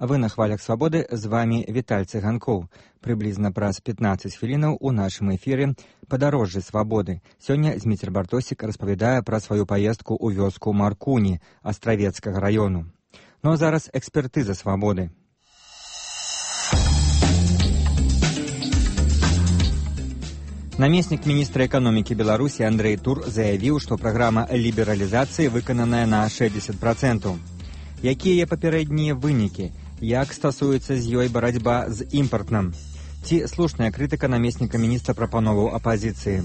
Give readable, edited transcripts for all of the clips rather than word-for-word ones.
Вы на хвалях свабоды, з вами Віталь Цыганкоў. Прыблізна праз 15 хвілінаў у нашым эфіры «Падарожжы свабоды». Сёння Зміцер Бартосік распавядае пра сваю паездку ў вёску Маркуні Астравецкага раёну. Ну а зараз экспертыза свабоды. Намеснік міністра эканомікі Беларусі Андрэй Тур заявіў, што праграма лібералізацыі выкананая на 60%. Якія папярэднія вынікі? Як стасуецца з ёй барацьба з імпартным? Ці слушная крытыка намесніка міністра прапановаў апазіцыі?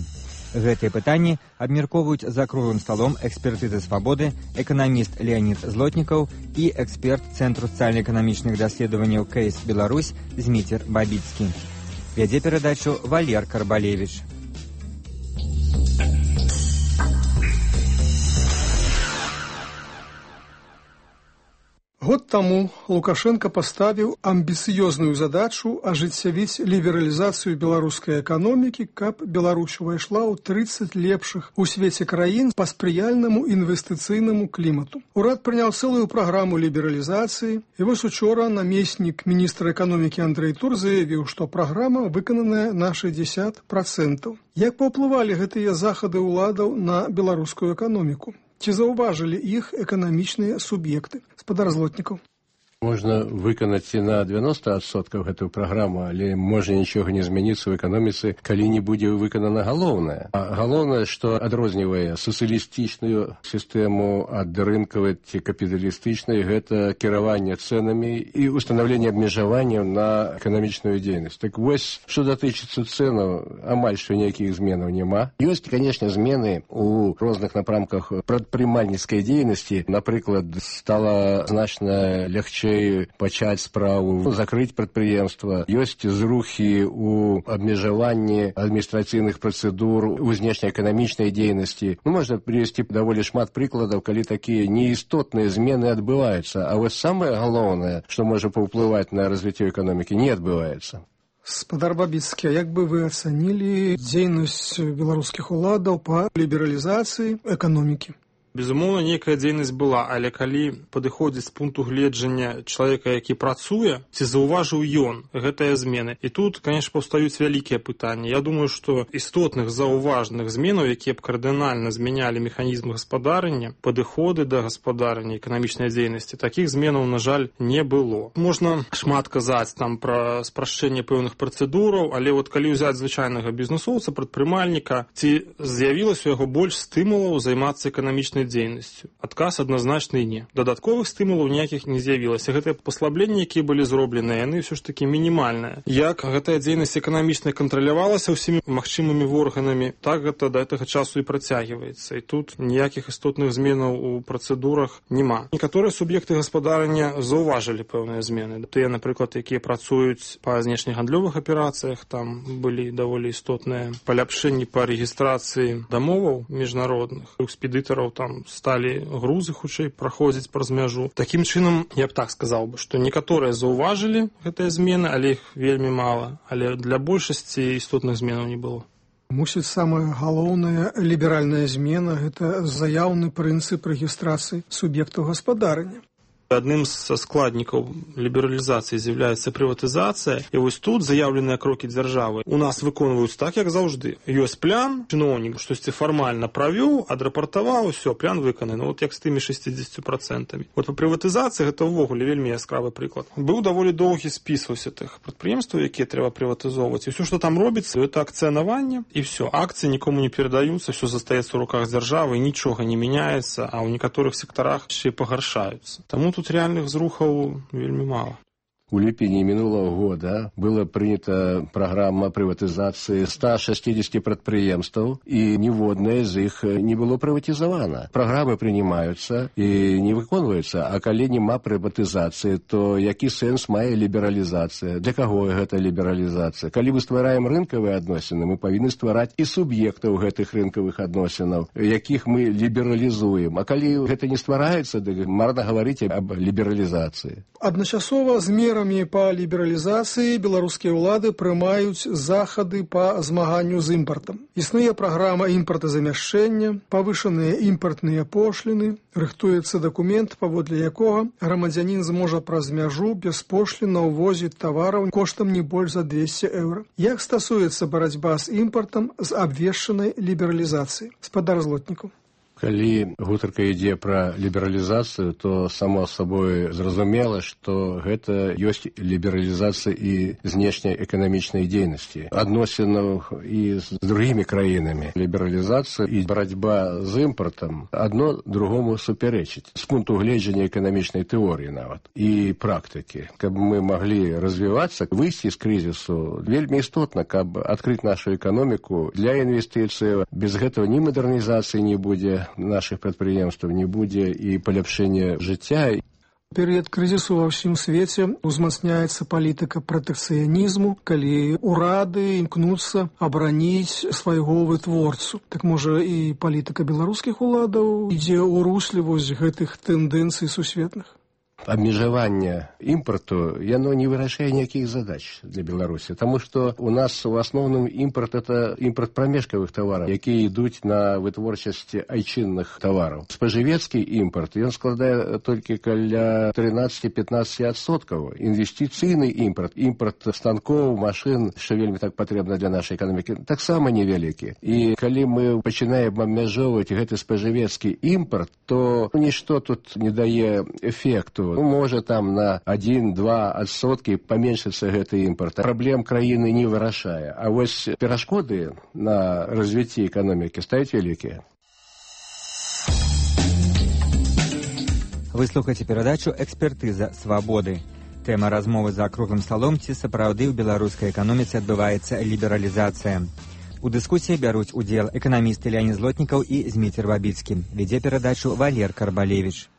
Гэтыя пытанні абмяркоўваюць за круглым сталом экспертызы свабоды эканаміст Леонід Злотнікаў і эксперт Цэнтру сацыяльна-эканамічных даследаванняў КС Беларусь Зміцер Бабіцкі. Вядзе перадачу Валер Карбалевіч. Год таму Лукашенко паставіў амбіцыёзную задачу ажыццявіць лібералізацыю беларускай эканомікі, каб Беларусь увайшла ў 30 лепшых у свеце краін па спрыяльнаму інвестыцыйнаму клімату. Урад прыняў цэлую праграму лібералізацыі, і вось учора намеснік міністра эканомікі Андрэй Тур заявіў, што праграма выкананая на 60%. Як паўплывалі гэтыя захады ўладаў на беларускую эканоміку? Ці заўважылі іх эканамічныя суб'екты? Спадар Злотнікаў. Можна выканаць і на 90% гэтую праграму, але можа нічога не змяніцца ў эканоміцы, калі не будзе выканана галоўнае. А галоўнае, што адрознівае сацыялістычную сістэму ад рынкавай ці капіталістычнай, гэта кіраванне цэнамі і ўстанаўленне абмежаванняў на эканамічную дзейнасць. Так вось, што датычыцца цэнаў, амаль што ніякіх зменаў няма. Ёсць, канешне, змены ў розных напрамках прадпрымальніцкай дзейнасці. Напрыклад, стала значна лягчэй пачаць справу, закрыць прадпрыемства. Ёсць зрухі ў абмежаванні адміністрацыйных працэдур, у знешнеэканамічнай дзейнасці. Можна прывесці даволі шмат прыкладаў, калі такія неістотныя змены адбываюцца. А вось самае галоўнае, што можа паўплываць на развіццё эканомікі, не адбываецца. Спадар Бабіцкі, як бы вы ацанілі дзейнасць беларускіх уладаў па лібералізацыі эканомікі? Безумоўна, нейкая дзейнасць была, але калі падыходзіць з пункту гледжання чалавека, які працуе, ці заўважыў ён гэтыя змены. І тут, конечно, паўстаюць вялікія пытанні. Я думаю, што істотных заўважных зменаў, якія б кардынальна змянялі механізм гаспадарання, падыходы да гаспадарання, эканамічнай дзейнасці, такіх зменаў, на жаль, не было. Можна шмат казаць там пра спрашчэнне пэўных працэдураў, але вот калі ўзяць звычайнага бізнесоўца, прадпрымальніка, ці з'явілася у яго больш стымулаў займацца эканамічнай дзейнасцю. Адказ адназначны не. Дадатковых стымулаў ніякіх не з'явілася. Гэтыя паслабленні, якія былі зробленыя, яны ўсё ж такі мінімальныя. Як гэтая дзейнасць эканамічная кантралявалася ўсімі магчымымі органамі, так гэта да гэтага часу і працягваецца. І тут ніякіх істотных зменаў у працэдурах няма. Некаторыя суб'екты гаспадарання заўважылі пэўныя змены. Тыя, напрыклад, якія працуюць па знешнегандлёвых аперацыях, там былі даволі істотныя паляпшэнні па рэгістрацыі дамоваў міжнародных, экспедытараў там сталі грузы хутчэй праходзіць праз мяжу. Такім чынам, я б так сказаў бы, што некаторыя заўважылі гэтыя змены, але іх вельмі мала. Але для большасці істотных зменаў не было. Мусіць, самая галоўная ліберальная змена – гэта заяўны прынцып рэгістрацыі суб'ектаў гаспадарання. Адным з складнікаў лібералізацыі з'яўляецца прыватызацыя, і вось тут заяўленыя крокі дзяржавы у нас выконваюць так, як заўжды. Ёсць план, чыноўнік штосьці фармальна правёў, адрапартаваў, усё, план выкананы. Вот як з тымі 60%. Вот па прыватызацыі гэта ўвогуле вельмі яскравы прыклад. Быў даволі доўгі спіс вось гэтых прадпрыемстваў, якія трэба прыватызоўваць. І ўсё, што там робіцца, гэта акцыянаванне, і ўсё. Акцыі нікому не перадаюцца, ўсё застаецца ў руках дзяржавы, нічога не мяняецца, а ў некаторых сектарах яшчэ пагаршаюцца. Таму тут реальных зрухаў вельмі мала. У ліпені мінулого года была прынята праграма прыватызацыі 160 прадпрыемстваў, і ніводнае з іх не было прыватызавана. Праграмы прынимаюцца і не выконваюцца, а калі няма прыватызацыі, то які сэнс мае лібералізацыя? Для каго гэта лібералізацыя? Калі мы ствараем рынкавыя адносіны, мы павінны ствараць і суб'ектаў гэтых рынкавых адносінаў, якіх мы лібералізуем. А калі гэта не ствараецца, дык марна гаварыць аб лібералізацыі. Адначасова з мерамі мерамі па лібералізацыі беларускія ўлады прымаюць захады па змаганню з імпартам. Існуе праграма імпартазамяшчэння, павышаныя імпартныя пошліны, рыхтуецца дакумент, паводле якога грамадзянін зможа праз мяжу без пошлін увозіць тавараў коштам не больш за 200 еўра. Як стасуецца барацьба з імпартам з абвешчанай лібералізацыі? Спадар Злотнікаў. Калі гутарка ідзе пра лібералізацыю, то само сабой зразумела, што гэта ёсць лібералізацыя і знешняй эканамічнай дзейнасці, адносінаў і з другімі краінамі. Лібералізацыя і барацьба з імпартам адно другому супярэчыць з пункту гледжання эканамічнай тэорыі нават і практыкі. Каб мы маглі развівацца, выйсці з крызісу, вельмі істотна, каб адкрыць нашу эканоміку для інвестыцыяў. Без гэтага ні мадэрнізацыі не будзе, наших прадпрыемстваў не будзе і паляпшэння жыцця. Перыяд крызісу ва ўсім свеце узмацняецца палітыка пратэкцыянізму, калі ўрады імкнуцца абараніць свайго вытворцу. Так можа і палітыка беларускіх уладаў ідзе ў русле вось гэтых тэндэнцый сусветных? Абмежаванне імпарту, яно не вырашае ніякіх задач для Беларусі, таму што у нас у асноўным імпарт – это імпарт прамежкавых тавараў, якія ідуць на вытворчасць айчынных тавараў. Спажывецкі імпарт, ён складае толькі каля 13-15%. Інвестыцыйны імпарт, імпарт станкоў, машын, што вельмі так патрэбна для нашай эканомікі, таксама невялікі. І калі мы пачынаем абмяжоўваць гэты спажывецкі імпарт, то нішто тут не дае эфекту. Можа там на 1-2% паменшыцца гэты імпарт. Праблем краіны не вырашае. А вось перашкоды на развіцці эканомікі стаюць вялікія. Вы слухаеце перадачу «Экспертыза свабоды». Тэма размовы за круглым сталом, ці сапраўды ў беларускай эканоміцы адбываецца лібералізацыя. У дыскусіі бяруць удзел эканамісты Леанід Злотнікаў і Зміцер Бабіцкі. Вядзе перадачу Валер Карбалевіч.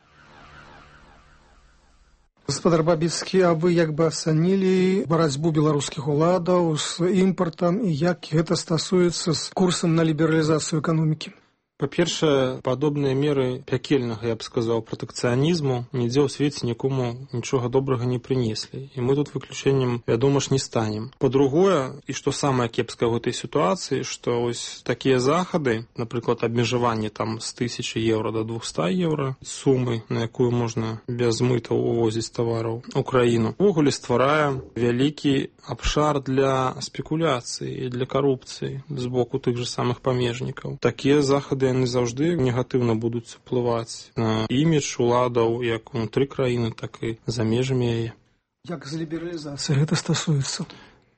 Гаспадар Бабіцкі, а вы як бы ацанілі барацьбу беларускіх уладаў з імпартам і як гэта стасуецца з курсам на лібералізацыю эканомікі? Па-першае, падобныя меры пякельнага, я б сказаў, пратэкцыянізму нідзе ў свеце нікому нічога добрага не прынеслі. І мы тут выключэннем, вядома ж, не станем. Па-другое, і што самае кепскае ў гэтай сітуацыі, што ось такія захады, напрыклад, абмежаванне там з 1000 еўра до 200 еўра, сумы, на якую можна без мытаў увозіць тавараў у краіну, увогуле стварае вялікі абшар для спекуляцыі і для карупцыі з боку тых жа самых памежнікаў. Такія захады яны заўжды негатыўна будуць уплываць на імідж уладаў як унутры краіны, так і за межамі яе. Як з лібералізацыяй гэта стасуецца?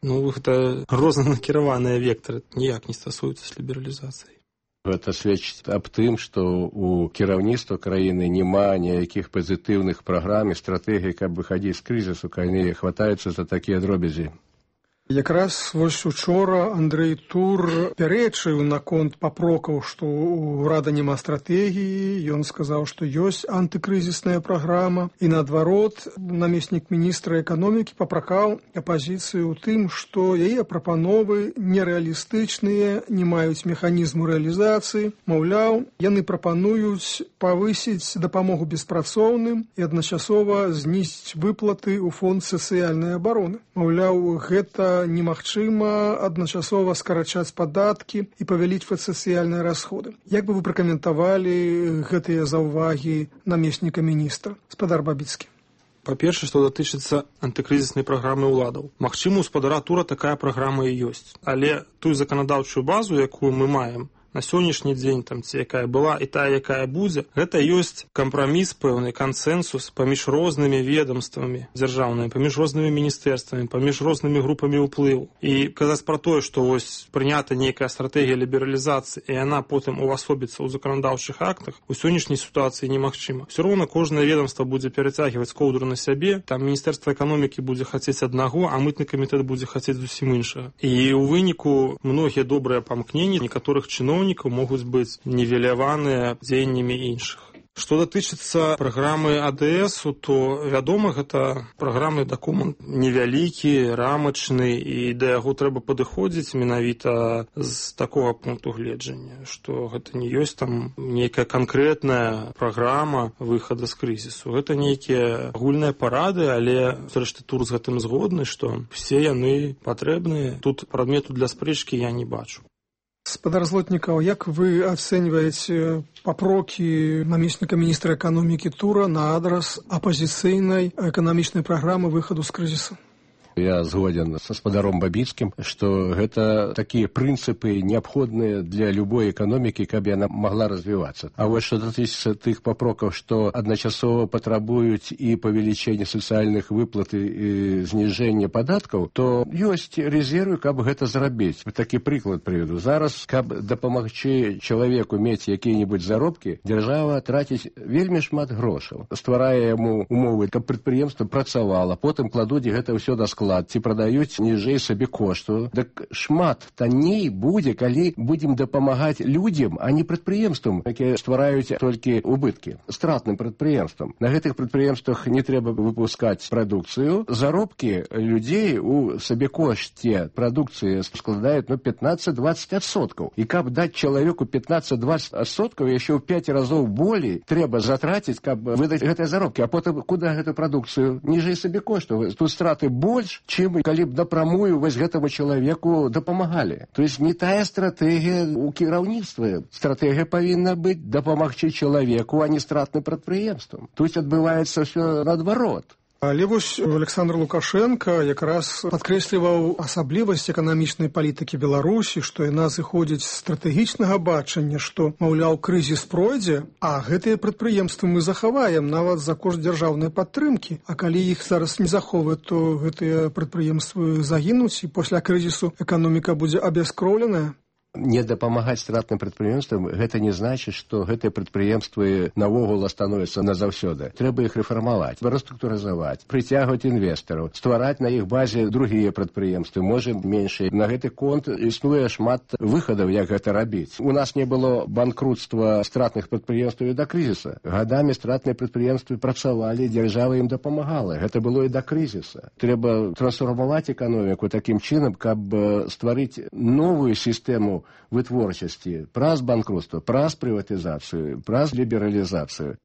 Гэта рознанакіраваныя вектары, ніяк не стасуюцца з лібералізацыяй. Гэта сведчыць аб тым, што у кіраўніцтва краіны няма ніякіх пазітыўных праграм і стратэгій, каб выхадзіць з крызісу, калі хватаюцца за такія дробязі. Якраз вось учора Андрэй Тур пярэчыў наконт папрокаў, што ў ўрада няма стратэгіі. Ён сказаў, што ёсць антыкрызісная праграма. І наадварот, намеснік міністра эканомікі папракаў апазіцыю ў тым, што яе прапановы нерэалістычныя, не маюць механізму рэалізацыі. Маўляў, яны прапануюць павысіць дапамогу беспрацоўным і адначасова знізіць выплаты ў фонд сацыяльнай абароны. Маўляў, гэта немагчыма адначасова скарачаць падаткі і павялічваць сацыяльныя расходы. Як бы вы пракаментавалі гэтыя заўвагі намесніка міністра? Спадар Бабіцкі. Па-першае, што датычыцца антыкрызіснай праграмы ўладаў. Магчыма, у спадара Тура такая праграма і ёсць. Але тую заканадаўчую базу, якую мы маем, на сённяшні дзень, там, ці якая была і тая, якая будзе, гэта ёсць кампраміс, пэўны кансэнсус паміж рознымі ведомствамі дзяржаўнымі, паміж рознымі міністэрствамі, паміж рознымі групамі ўплыву. І казаць пра тое, што вось прынята нейкая стратэгія лібералізацыі, і яна потым увасобіцца ў заканадаўчых актах, у сённяшняй сітуацыі немагчыма. Усё роўна кожнае ведомства будзе перацягваць коўдру на сябе, там міністэрства эканомікі будзе хацець аднаго, а мытны камітэт будзе хацець зусім іншага. І ў выніку многія добрыя памкненні некаторых чыноўнікаў могуць быць нівеляваныя дзеяннямі іншых. Што датычыцца праграмы АДС, то, вядома, гэта праграмны дакумент невялікі, рамачны, і да яго трэба падыходзіць менавіта з такога пункту гледжання, што гэта не ёсць там нейкая канкрэтная праграма выхада з крызісу. Гэта нейкія агульныя парады, але, зрэшты, Тур з гэтым згодны, што все яны патрэбныя. Тут прадмету для спрэчкі я не бачу. Спадар Злотнікаў, як вы ацэньваеце папрокі намесніка міністра эканомікі Тура на адрас апазіцыйнай эканамічнай праграмы выхаду з крызісу? Я згоден со спадаром Бабіцкім, што гэта такія прынцыпы неабходныя для любой эканомікі, каб яна могла развівацца. А вось што датычыцца тых папрокаў, што адначасова патрабуюць і павелічэння сацыяльных выплат і зніжэння падаткаў, то ёсць резервы, каб гэта зрабіць. Такі прыклад прыведу. Зараз, каб дапамагчы чалавеку мець якія-небудзь заробкі, дзяржава траціць вельмі шмат грошаў, стварае яму умовы, каб прадпрыемства працавала, потым кладуць гэта ўсё на склад, ці прадаюць ніжэй сабе кошту. Так шмат танней будзе, калі будзем дапамагаць людзям, а не прадпрыемствам, якія ствараюць толькі убыткі, стратным прадпрыемствам. На гэтых прадпрыемствах не трэба выпускаць прадукцыю. Заробкі людзей у сабекошце прадукцыі складаюць 15-20%. І каб даць чалавеку 15-20%, яшчэ ў 5 разоў болей трэба затраціць, каб выдаць гэтыя заробкі. А потым куды гэту прадукцыю? Ніжэй сабекошту. Тут страты больш, чым калі б напрамую вось гэтаму чалавеку дапамагалі. То есть не тая стратэгія ў кіраўніцтве. Стратэгія павінна быць дапамагчы чалавеку, а не стратным прадпрыемствам. Тут адбываецца ўсё наадварот. Але вось Александр Лукашенко якраз падкрэсліваў асаблівасць эканамічнай палітыкі Беларусі, што яна зыходзіць з стратэгічнага бачання, што, маўляў, крызіс пройдзе, а гэтыя прадпрыемствы мы захаваем нават за кошт дзяржаўнай падтрымкі. А калі іх зараз не захоўваць, то гэтыя прадпрыемствы загінуць, і пасля крызісу эканоміка будзе абяскроўленая. Не дапамагаць стратным прадпрыемствам, гэта не значыць, што гэтыя прадпрыемствы наогул становяцца назаўсёды. Трэба іх рэфармаваць, рэструктурызаваць, прыцягваць інвестараў, ствараць на іх базе другія прадпрыемствы, можа меншыя. На гэты конт існуе шмат выхадаў, як гэта рабіць. У нас не было банкрутства стратных прадпрыемстваў і да крызіса. Гадамі стратныя прадпрыемствы працавалі, дзяржава ім дапамагала. Гэта было і да крызіса. Трэба трансфармаваць эканоміку такім чынам, каб стварыць новую сістэму вытворчасці праз банкрутства, праз прыватызацыю, праз лібералізацыю.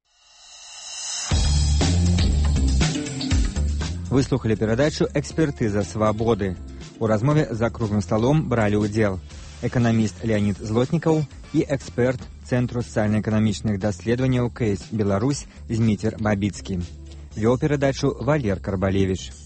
Вы слухали перадачу «Экспертыза свабоды». У размове за круглым сталом бралі ўдзел эканаміст Леонид Злотнікаў і эксперт Цэнтру сацыяльна-эканамічных даследаванняў КС Беларусь Зміцер Бабіцкі. Вёў перадачу Валер Карбалевіч.